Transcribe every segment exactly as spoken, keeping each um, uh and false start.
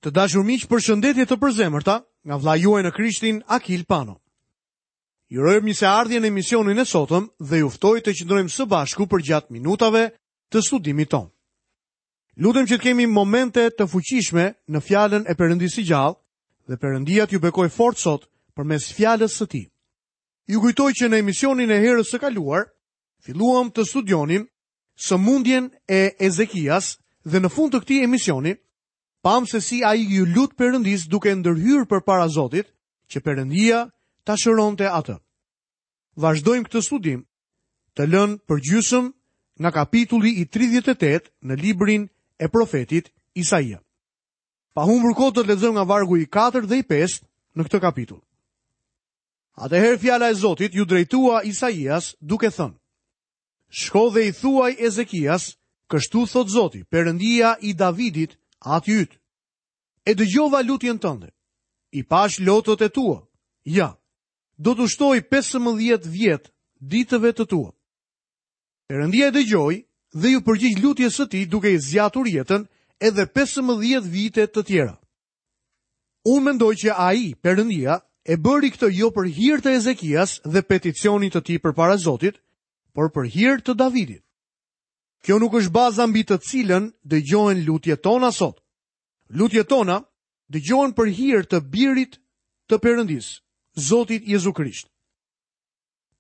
Të dashur miq, përshëndetje të përzemërta nga vëllai juaj në Krishtin Akil Pano. Ju uroj mirëseardhje në emisionin e sotëm dhe ju ftoj të qëndrojmë së bashku përgjatë minutave të studimit tonë. Lutem që të kemi momente të fuqishme në fjalën e Perëndisë së gjallë dhe Perëndia t'ju bekoj fort sot përmes fjalës së tij. Ju kujtoj që në emisionin e herës së kaluar filluam të studionim sëmundjen e Ezekias dhe në fund të këtij emisioni pam se si ai ju lut Perëndis duke ndërhyrë përpara Zotit, që Perëndia ta shëronte atë. Vazhdojmë këtë studim të lënë përgjysëm nga kapitulli i tridhjetë e tetë në librin e profetit Isaia. Pa humbur kohë do të lexojmë nga vargu i katërt dhe i pestë në këtë kapitull. Atëherë fjala e Zotit ju drejtua Isaias duke thënë: Shko dhe i thuaj Ezekias, kështu thot Zoti, Perëndia i Davidit, ati yt. E dëgjova lutjen tënde, i pash lotët e tua. Ja, do t'u shtoj pesëmbëdhjetë vjet ditëve të tua. Perëndia e dëgjoi dhe ju përgjigj lutjes së tij duke i zgjatur jetën edhe pesëmbëdhjetë vite të tjera. Unë mendoj që ai, Perëndia, e bëri këtë jo për hir të Ezekias dhe peticionit të tij përpara Zotit, por për hir të Davidit. Kjo nuk është baza mbi të cilën dëgjohen lutjet tona sot. Lutjet tona dëgjohen për hir të birit të Perëndisë, Zotit Jezu Krisht.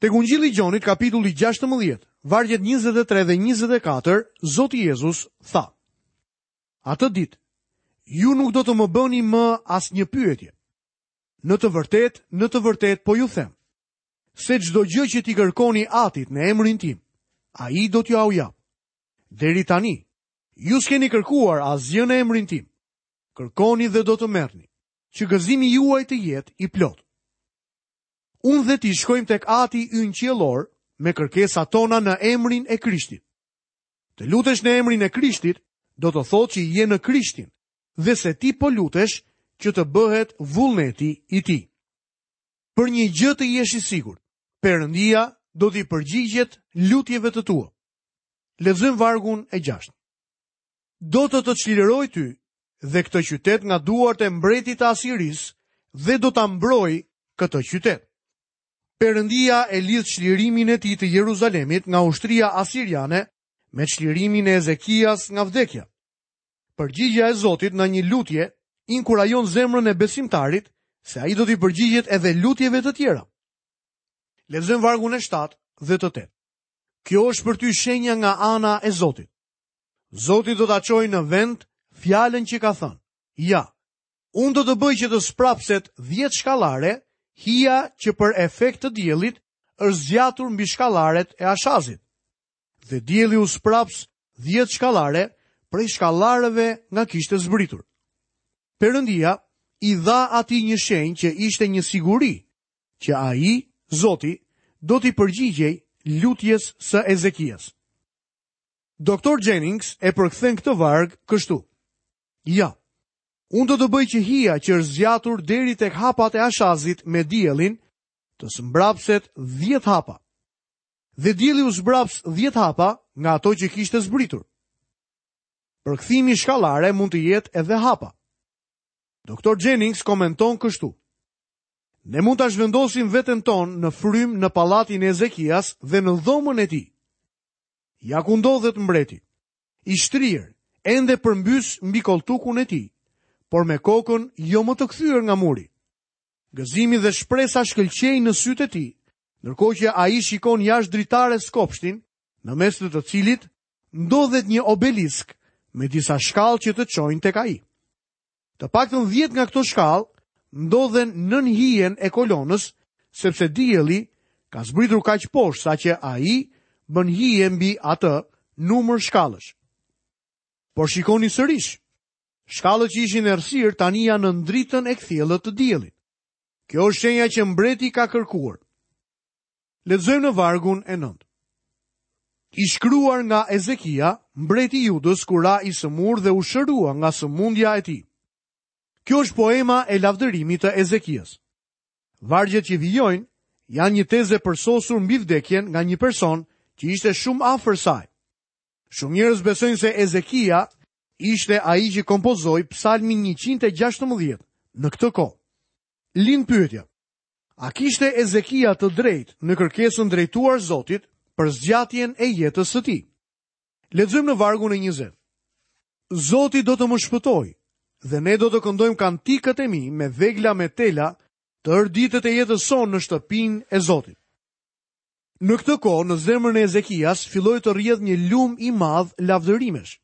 Tek Ungjilli i Gjonit, kapitulli gjashtëmbëdhjetë, vargjet njëzet e tre dhe njëzet e katër, Zoti Jezus tha: Atë ditë, ju nuk do të më bëni më asnjë pyetje. Në të vërtetë, në të vërtetë po ju them, se çdo gjë që t'i kërkoni Atit në emrin tim, ai do t'ju au jap. Deri tani, ju s'keni kërkuar asgjë në emrin tim. Kërkoni dhe do të merrni, që gëzimi juaj të jetë i plot. Unë dhe ti shkojmë tek Ati ynë qiellor me kërkesat tona në emrin e Krishtit. Të lutesh në emrin e Krishtit do të thotë që je në Krishtin dhe se ti po lutesh që të bëhet vullneti i tij. Për një gjë të jesh i sigurt, Perëndia do t'i përgjigjet lutjeve të tua. Lexojmë vargun e gjashtë. Do të të çliroj ty dhe këtë qytet nga duart e mbretit të Asirisë dhe do ta mbroj këtë qytet. Perëndia e lidh çlirimin e tij të Jeruzalemit nga ushtria asiriane me çlirimin e Ezekias nga vdekja. Përgjigjja e Zotit në një lutje inkurajon zemrën e besimtarit se ai do t'i përgjigjet edhe lutjeve të tjera. Lexojmë vargun e shtatë dhe të tetë. Kjo është për ty shenja nga ana e Zotit. Zoti do ta çojë në vend fjalën që ka thënë. Ja, unë do të bëj që të sprapset dhjetë shkallare, hija që për efekt të diellit është zgjatur mbi shkallaret e Ashazit. Dhe dielli u spraps dhjetë shkallare prej shkallarëve nga kishte zbritur. Perëndia i dha atij një shenjë që ishte një siguri, që ai, Zoti, do t'i përgjigjej lutjes së Ezekias. Doktor Jennings e përkthen këtë varg kështu: Ja, unë do të bëj që hija që është zgjatur deri tek hapat e Ashazit me diellin, të zmbrapset dhjetë hapa. Dhe dielli u zbraps dhjetë hapa nga ato që kishte zbritur. Përkthimi shkallare mund të jetë edhe hapa. Doktor Jennings komenton kështu: Ne mund ta zhvendosim veten tonë në frymë në pallatin e Ezekias dhe në dhomën e tij. Ja ku ndodhet mbreti, i shtrirë, ende përmbys mbi koltukun e tij, por me kokën jo më të kthyer nga muri. Gëzimi dhe shpresa shkëlqejnë në sytë e tij, ndërkohë që ai shikon jashtë dritares kopshtin, në mes të të cilit ndodhet një obelisk me disa shkallë që të çojnë tek ai. Të paktën dhjetë nga këto shkallë ndodhen nën hijen e kolonës, sepse dielli ka zbritur kaq poshtë saqë ai bën hije mbi atë numër shkallësh. Por shikoni sërish, shkallët që ishin errësirë tani janë në dritën e kthjellët të diellit. Kjo është shenja që mbreti ka kërkuar. Lexojmë në vargun e nëntë. I shkruar nga Ezekia, mbreti i Judës, kur ra i sëmur dhe u shërua nga sëmundja e tij. Kjo është poema e lavdërimit të Ezekias. Vargjet që vijojnë janë një tezë e përsosur mbi vdekjen nga një person që ishte shumë afër saj. Shumë njerëz besojnë se Ezekia ishte ai që kompozoi Psalmin njëqind e gjashtëmbëdhjetë në këtë kohë. Lind pyetja: a kishte Ezekia të drejtë në kërkesën drejtuar Zotit për zgjatjen e jetës së tij? Lexojmë në vargun e njëzet. Zoti do të më shpëtojë dhe ne do të këndojmë kantikët e mi me vegla me tela tërë ditët e jetës sonë në shtëpinë e Zotit. Në këtë kohë, në zemrën e Ezekias filloi të rrjedh një lum i madh lavdërimesh.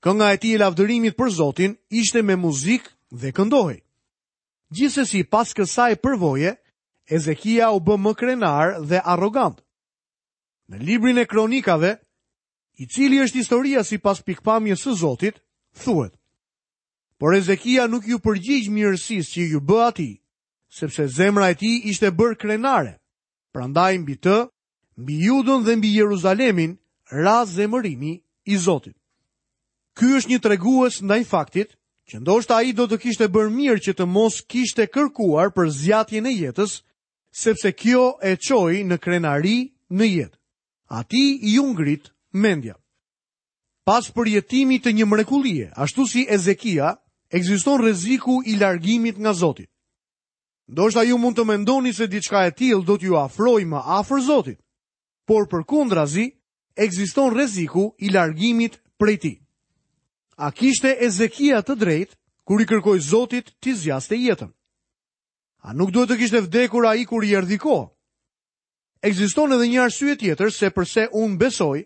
Kënga e tij e lavdërimit për Zotin ishte me muzikë dhe këndohej. Gjithsesi, pas kësaj përvoje, Ezekia u bë më krenar dhe arrogant. Në librin e Kronikave, i cili është historia sipas pikpamjes së Zotit, thuhet: Por Ezekia nuk ju përgjigj mirësisë që ju bë atij, sepse zemra e tij ishte bërë krenare. Prandaj mbi të, mbi Judën dhe mbi Jeruzalemin, ra zemërimi i Zotit. Ky është një tregues ndaj faktit që ndoshta ai do të kishte bërë mirë që të mos kishte kërkuar për zgjatjen e jetës, sepse kjo e çoi në krenari në jetë. Atij iu ngrit mendja. Pas përjetimit të një mrekullie, ashtu si Ezekia, ekziston rreziku i largimit nga Zoti. Ndoshta ju mund të mendoni se diçka e tillë do t'ju afrojë më afër Zotit, por përkundrazi ekziston rreziku i largimit prej tij. A kishte Ezekia të drejtë kur i kërkoi Zotit t'i zgjaste jetën? A nuk duhet të kishte vdekur ai kur i erdhi koha? Ekziston edhe një arsye tjetër se përse unë besoj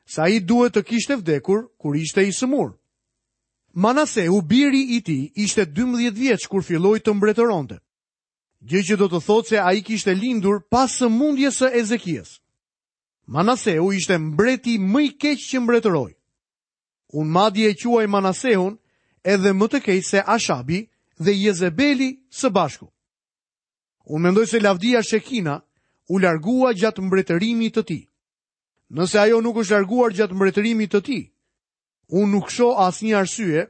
se ai duhet të kishte vdekur kur ishte i sëmur. Manaseu, biri i tij, ishte dymbëdhjetë vjeç kur filloi të mbretëronte, gjë që do të thotë se ai kishte lindur pas sëmundjes së Ezekias. Manaseu ishte mbreti më i keq që mbretëroi. Unë madje e quaj Manaseun edhe më të keq se Ashabi dhe Jezebeli së bashku. Unë mendoj se lavdia Shekina u largua gjatë mbretërimit të tij. Nëse ajo nuk është larguar gjatë mbretërimit të tij, unë nuk shoh asnjë arsye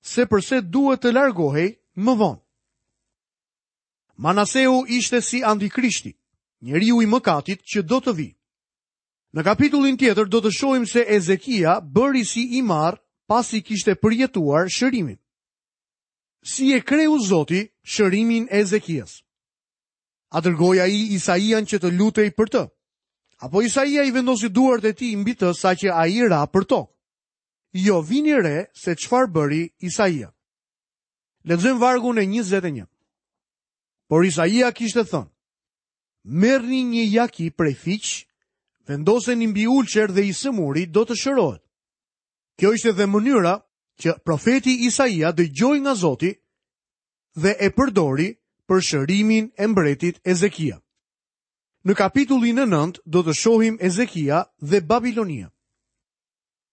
se përse duhet të largohej më vonë. Manaseu ishte si antikrishti, njeriu i mëkatit që do të vi. Në kapitullin tjetër do të shohim se Ezekia bëri si i marr pasi kishte përjetuar shërimin. Si e kreu Zoti shërimin e Ezekias? A dërgoi ai Isaian që të lutej për të? Apo Isaia i vendosi duart e tij mbi të saqë ai ra për tokë? Jo, vini re se çfarë bëri Isaia. Lexojmë vargun e njëzet e një. Por Isaia kishte thënë: Merrni një jaki prej fiq, vendoseni mbi ulçer dhe i sëmuri do të shërohet. Kjo ishte dhe mënyra që profeti Isaia dëgjoi nga Zoti dhe e përdori për shërimin e mbretit Ezekia. Në kapitullin e nëntë do të shohim Ezekia dhe Babilonia.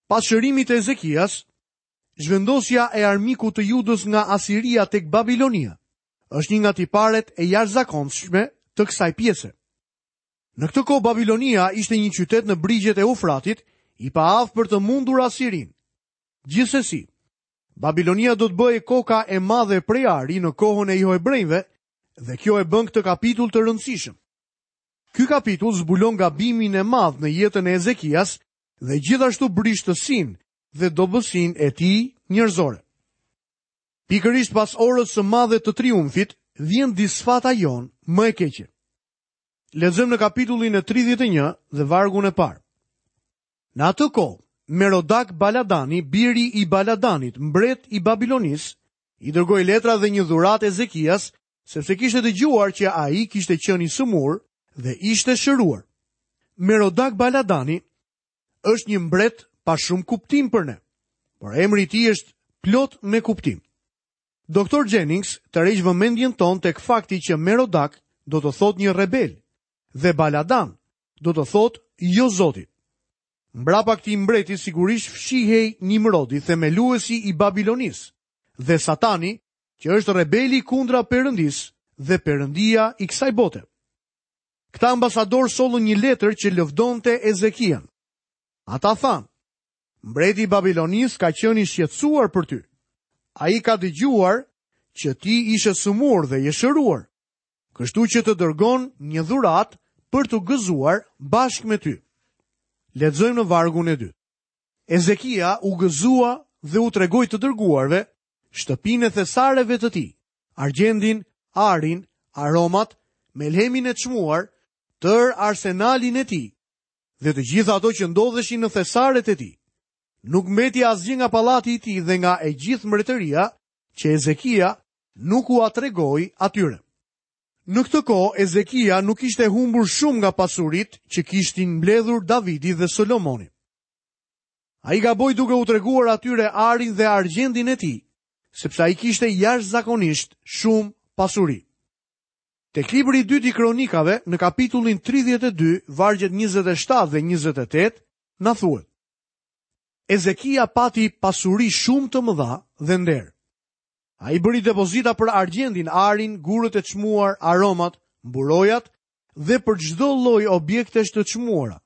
Pas shërimit të Ezekias, zhvendosja e armikut të Judës nga Asiria tek Babilonia është një nga tiparet e jashtëzakonshme të kësaj pjese. Në këtë kohë Babilonia ishte një qytet në brigjet e Eufratit, i paaftë për të mundur Asirinë. Gjithsesi, Babilonia do të bëhej koka e madhe prej ari në kohën e Johebrejve dhe kjo e bën këtë kapitull të rëndësishëm. Ky kapitull zbulon gabimin e madh në jetën e Ezekias dhe gjithashtu brishtësinë dhe dobësinë e tij njerëzore. Pikërisht pas orës së madhe të triumfit, vjen disfata jonë më e keqe. Lexojmë në kapitullin e tridhjetë e një dhe vargun e parë. Në atë kohë, Merodak Baladani, biri i Baladanit, mbret i Babilonisë, i dërgoi letra dhe një dhuratë Ezekias, sepse kishte dëgjuar që ai kishte qenë i sëmur dhe ishte shëruar. Merodak Baladani është një mbret pa shumë kuptim për ne, por emri i tij është plot me kuptim. Doktor Jennings tërheq vëmendjen tonë tek fakti që Merodak do të thotë një rebel dhe Baladan do të thotë jo Zotit. Mbrapa këtij mbreti sigurisht fshihej Nimrodi, themeluesi i Babilonisë, dhe Satani, që është rebeli kundra Perëndisë dhe Perëndia i kësaj bote. Këta ambasador sollën një letër që lëvdonte Ezekian. Ata thanë: Mbreti i Babilonisë ka qenë i shqetësuar për ty. Ai ka dëgjuar që ti ishe sëmur dhe je shëruar, kështu që të dërgon një dhuratë për të gëzuar bashkë me ty. Lexojmë në vargun e dytë. Ezekia u gëzua dhe u tregoi të dërguarve shtëpinë e thesareve të tij, argjendin, arin, aromat, melhemin e çmuar, tër arsenalin e tij dhe të gjitha ato që ndodheshin në thesaret e tij. Nuk mbeti asgjë nga pallati i tij dhe nga e gjithë mbretëria që Ezekia nuk ua tregoi atyre. Në këtë kohë Ezekia nuk ishte humbur shumë nga pasuritë që kishin mbledhur Davidi dhe Solomoni. Ai gaboi duke u treguar atyre arin dhe argjendin e tij, sepse ai kishte jashtëzakonisht shumë pasuri. Tek libri i dytë i Kronikave, në kapitullin tridhjetë e dy, vargjet njëzet e shtatë dhe njëzet e tetë, na thuhet: Ezekia pati pasuri shumë të mëdha dhe nder. Ai bëri depozita për argjendin, arin, gurët e çmuar, aromat, mburojat dhe për çdo lloj objektesh të çmuara,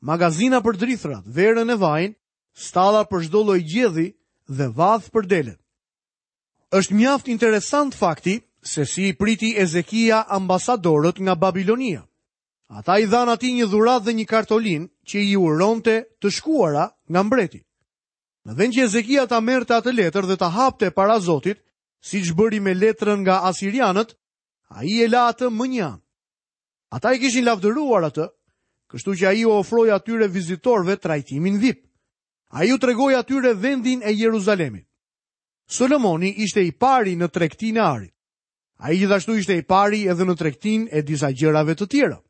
magazina për drithrat, verën e vajin, stalla për çdo lloj gjedhi dhe vath për delet. Është mjaft interesant fakti se si i priti Ezekia ambasadorët nga Babilonia. Ata i dhanë atij një dhuratë dhe një kartolinë që i uronte të shkuara nga mbreti. Në vend që Ezekia ta merrte atë letër dhe ta hapte para Zotit, siç bëri me letrën nga asirianët, ai e la atë më një anë. Ata i kishin lavdëruar atë, kështu që ai u ofroi atyre vizitorëve trajtimin V I P. Ai u tregoi atyre vendin e Jeruzalemit. Solomoni ishte i pari në tregtinë e arit. Ai gjithashtu ishte i pari edhe në tregtinë e disa gjërave të tjera.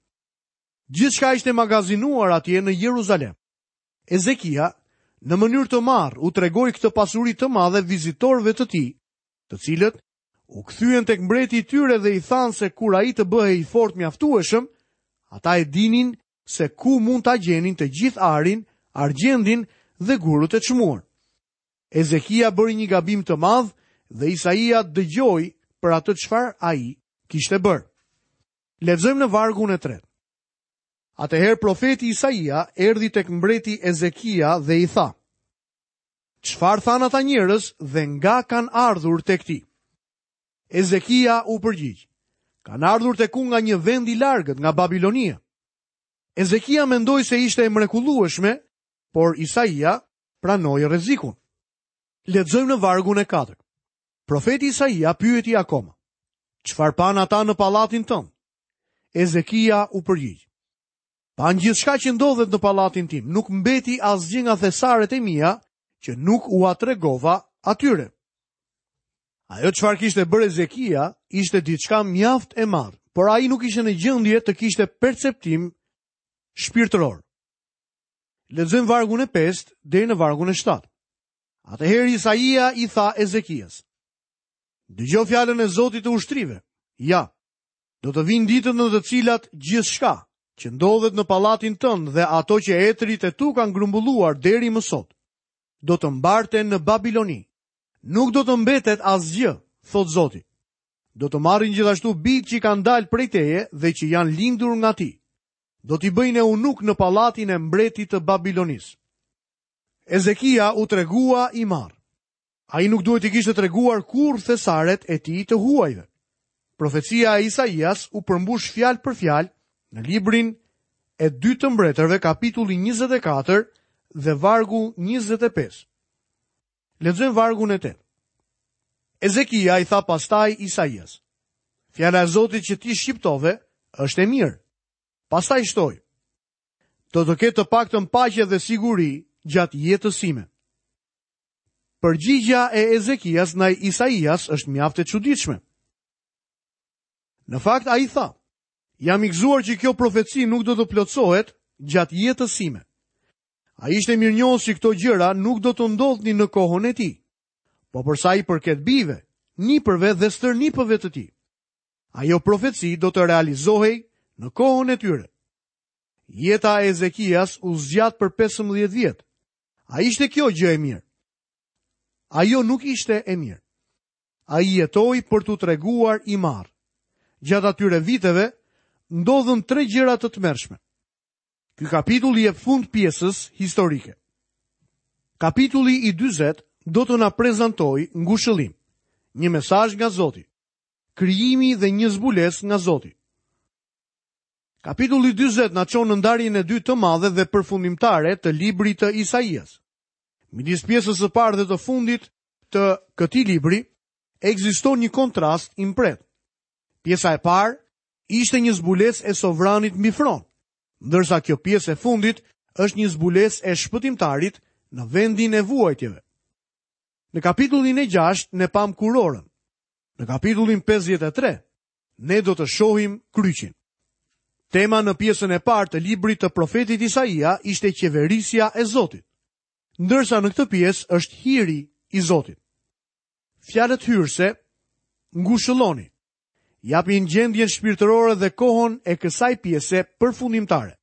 Gjithçka ishte magazinuar atje në Jeruzalem. Ezekia, në mënyrë të marrë, u tregoi këtë pasuri të madhe vizitorëve të tij, të cilët u kthyen tek mbreti i tyre dhe i thanë se kur ai të bëhej i fortë mjaftueshëm, ata e dinin se ku mund ta gjenin të gjithë arin, argjendin dhe gurët e çmuar. Ezekia bëri një gabim të madh dhe Isaia dëgjoi për atë çfarë ai kishte bërë. Lexojmë në vargun e tretë. Atëherë profeti Isaia erdhi tek mbreti Ezekia dhe i tha: Çfarë thanë ata njerëz dhe nga kanë ardhur tek ti? Ezekia u përgjigj: Kanë ardhur tek unë nga një vend i largët, nga Babilonia. Ezekia mendoi se ishte e mrekullueshme, por Isaia pranoi rrezikun. Lexojmë në vargun e katërt. Profeti Isaia pyeti akoma: Çfarë panë ata në pallatin tënd? Ezekia u përgjigj: Panë gjithçka që ndodhet në pallatin tim, nuk mbeti asgjë nga thesaret e mia që nuk ua tregova atyre. Ajo çfarë kishte bërë Ezekia ishte diçka mjaft e madhe, por ai nuk ishte në gjendje të kishte perceptim shpirtëror. Lexojmë vargun e pestë deri në vargun e shtatë. Atëherë Isaia i tha Ezekias: Dëgjo fjalën e Zotit të ushtrive. Ja, do të vinë ditët në të cilat gjithçka që ndodhet në pallatin tënd dhe ato që etërit e tu kanë grumbulluar deri më sot, do të mbarten në Babiloni. Nuk do të mbetet asgjë, thot Zoti. Do të marrin gjithashtu bijtë që kanë dalë prej teje dhe që janë lindur nga ti. Do t'i bëjnë eunuk në pallatin e mbretit të Babilonisë. Ezekia u tregua i marrë. Ai nuk duhet t'i kishte treguar kurrë thesaret e tij të huajve. Profecia e Isaias u përmbush fjalë për fjalë në librin e dytë të mbretërve, kapitulli njëzet e katër dhe vargu njëzet e pesë. Lexojmë vargun e tetë. Ezekia i tha pastaj Isaias: Fjala e Zotit që ti shqiptove është e mirë. Pastaj shtoi: Do të ketë të paktën paqe dhe siguri gjatë jetës sime. Përgjigja e Ezekias ndaj Isaias është mjaft e çuditshme. Në fakt ai tha: Jam i gëzuar që kjo profeci nuk do të plotësohet gjatë jetës sime. Ai ishte mirënjohës që këto gjëra nuk do të ndodhnin në kohën e tij, po për sa i përket bijve, nipërve dhe stërnipëve të tij, ajo profeci do të realizohej në kohën e tyre. Jeta e Ezekias u zgjat për pesëmbëdhjetë vjet. A ishte kjo gjë e mirë? Ajo nuk ishte e mirë. Ai jetoi për t'u treguar i marrë. Gjatë atyre viteve ndodhën tre gjëra të tmerrshme. Ky kapitull i jep fund pjesës historike. Kapitulli i dyzet do të na prezantojë ngushëllim, një mesazh nga Zoti, krijimi dhe një zbulesë nga Zoti. Kapitulli dyzet na çon në ndarjen e dytë të madhe dhe përfundimtare të librit të Isaias. Midis pjesës së parë dhe të fundit të këtij libri ekziston një kontrast i mprehtë. Pjesa e parë ishte një zbulesë e sovranit mbi fron, ndërsa kjo pjesë e fundit është një zbulesë e shpëtimtarit në vendin e vuajtjeve. Në kapitullin e gjashtë ne pam kurorën. Në kapitullin pesëdhjetë e tre ne do të shohim kryqin. Tema në pjesën e parë të librit të profetit Isaia ishte qeverisja e Zotit, ndërsa në këtë pjesë është hiri i Zotit. Fjalët hyrëse, ngushëlloni, japin gjendjen shpirtërore dhe kohën e kësaj pjese përfundimtare.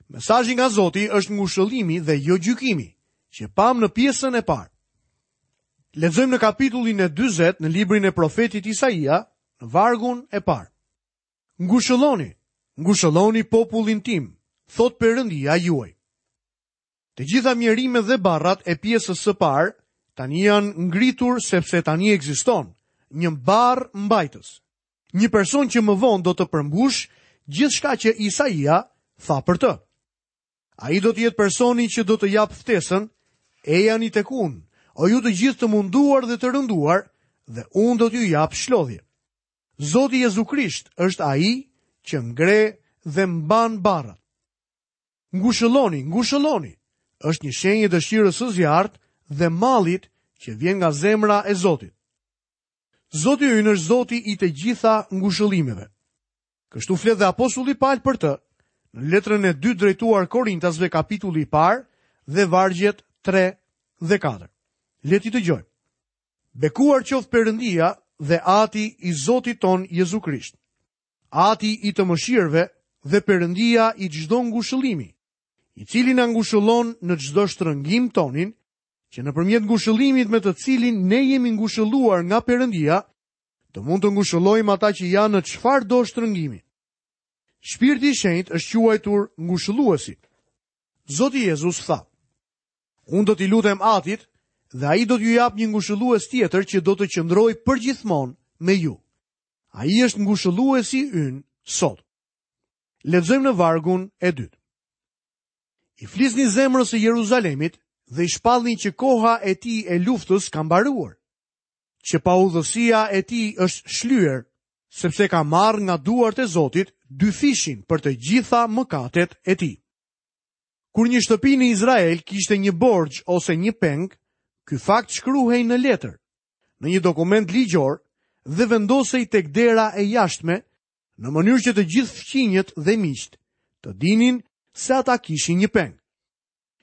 Mesazhi nga Zoti është ngushëllimi dhe jo gjykimi, që pam në pjesën e parë. Lexojmë në kapitullin e dyzet në librin e profetit Isaia, në vargun e parë. Ngushëlloni, ngushëlloni popullin tim, thot Perëndia juaj. Të gjitha mjerimet dhe barrat e pjesës së parë tani janë ngritur sepse tani ekziston një barr mbajtës, një person që më vonë do të përmbush gjithçka që Isaia tha për të. Ai do të jetë personi që do të japë ftesën, ejani tek unë, o ju të gjithë të munduar dhe të rënduar, dhe unë do t'ju jap shlodhje. Zoti Jezu Krisht është ai që ngre dhe mban barrat. Ngushëlloni, ngushëlloni, është një shenjë e dëshirës së zjarrt dhe mallit që vjen nga zemra e Zotit. Zoti ynë është Zoti i të gjitha ngushëllimeve. Kështu flet dhe apostulli Paul për të, në letrën e dytë drejtuar Korintasve kapitulli i parë dhe vargjet tre dhe katër. Le t'i dëgjojmë. Bekuar qoftë Perëndia dhe Ati i Zotit ton Jezu Krisht, Ati i të mëshirëve dhe Perëndia i çdo ngushëllimi, i cili na ngushëllon në çdo shtrëngim tonin, që nëpërmjet ngushëllimit me të cilin ne jemi ngushëlluar nga Perëndia, të mund të ngushëllojmë ata që janë në çfarëdo shtrëngimi. Shpirti i Shenjtë është quajtur ngushëlluesi. Zoti Jezus tha: Unë do t'i lutem Atit dhe ai do t'ju jap një ngushëllues tjetër që do të qëndrojë përgjithmonë me ju. Ai është ngushëlluesi ynë sot. Lexojmë në vargun e dytë. I flisni zemrës së Jeruzalemit dhe i shpallni që koha e tij e luftës ka mbaruar, që paudhësia e tij është shlyer, sepse ka marrë nga duart e Zotit dy fishin për të gjitha mëkatet e tij. Kur një shtëpi në Izrael kishte një borxh ose një peng, ky fakt shkruhej në letër, në një dokument ligjor dhe vendosej tek dera e jashtme, në mënyrë që të gjithë fqinjët dhe miqtë të dinin se ata kishin një peng.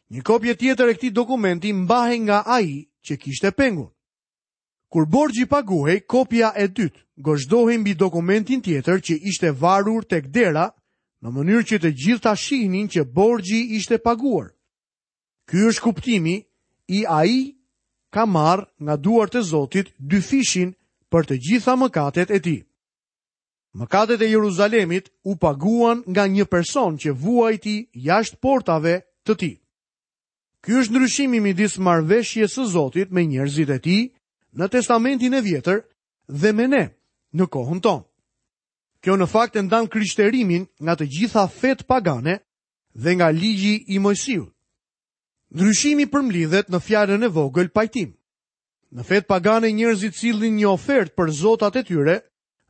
Një kopje tjetër e këtij dokumenti mbahej nga ai që kishte pengun. Kur borxhi paguhej, kopja e dytë gozhdohej mbi dokumentin tjetër që ishte varur tek dera, në mënyrë që të gjithë ta shihnin që borxhi ishte paguar. Ky është kuptimi i ai ka marrë nga duart e Zotit dy fishin për të gjitha mëkatet e tij. Mëkatet e Jeruzalemit u paguan nga një person që vuajti jashtë portave të tij. Ky është ndryshimi midis marrëveshjes së Zotit me njerëzit e tij në Testamentin e Vjetër dhe me ne në kohën tonë. Kjo në fakt e ndan krishterimin nga të gjitha fetë pagane dhe nga ligji i Moisiut. Ndryshimi përmblidhet në fjalën e vogël pajtim. Në fetë pagane njerëzit sillnin një ofertë për zotat e tyre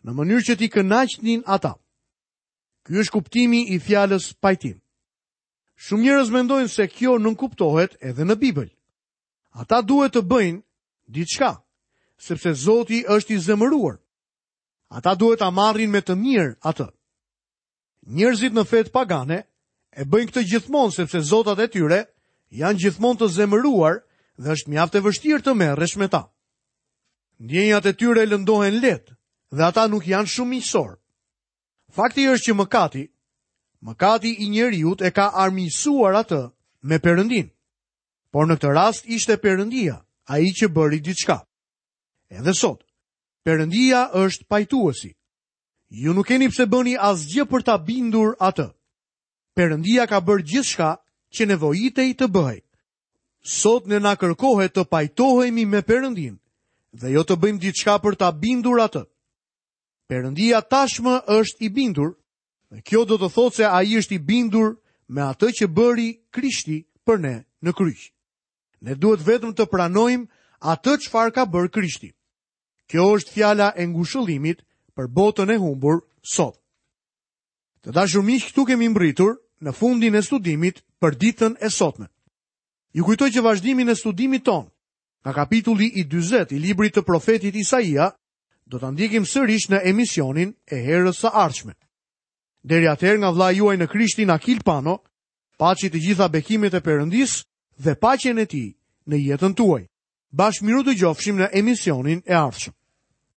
në mënyrë që t'i kënaqnin ata. Ky është kuptimi i fjalës pajtim. Shumë njerëz mendojnë se kjo nënkuptohet edhe në Bibël. Ata duhet të bëjnë diçka, sepse Zoti është i zemëruar. Ata duhet ta marrin me të mirë atë. Njerëzit në fetë pagane e bëjnë këtë gjithmonë sepse zotat e tyre janë gjithmonë të zemëruar dhe është mjaft e vështirë të merresh me ta. Ndjenjat e tyre lëndohen lehtë dhe ata nuk janë shumë miqësor. Fakti është që mëkati, mëkati i njeriut e ka armiqësuar atë me Perëndin. Por në këtë rast ishte Perëndia, ai që bëri diçka. Edhe sot, Perëndia është pajtuesi. Ju nuk keni pse bëni asgjë për ta bindur atë. Perëndia ka bërë gjithçka që nevojitej të bëhej. Sot ne na kërkohet të pajtohemi me Perëndin dhe jo të bëjmë diçka për ta bindur atë. Perëndia tashmë është i bindur, dhe kjo do të thotë se ai është i bindur me atë që bëri Krishti për ne në kryq. Ne duhet vetëm të pranojmë atë çfarë ka bërë Krishti. Kjo është fjala e ngushëllimit për botën e humbur sot. Të dashur miq, këtu kemi mbërritur në fundin e studimit për ditën e sotme. Ju kujtoj që vazhdimin e studimit tonë, nga kapitulli i dyzet i librit të profetit Isaia, do ta ndjekim sërish në emisionin e herës së ardhshme. Deri atëherë, nga vëllai juaj në Krishtin Akil Pano, paçi të gjitha bekimet e Perëndisë dhe paqen e tij në jetën tuaj. Bashkë mirudëgjofshim në emisionin e ardhshëm.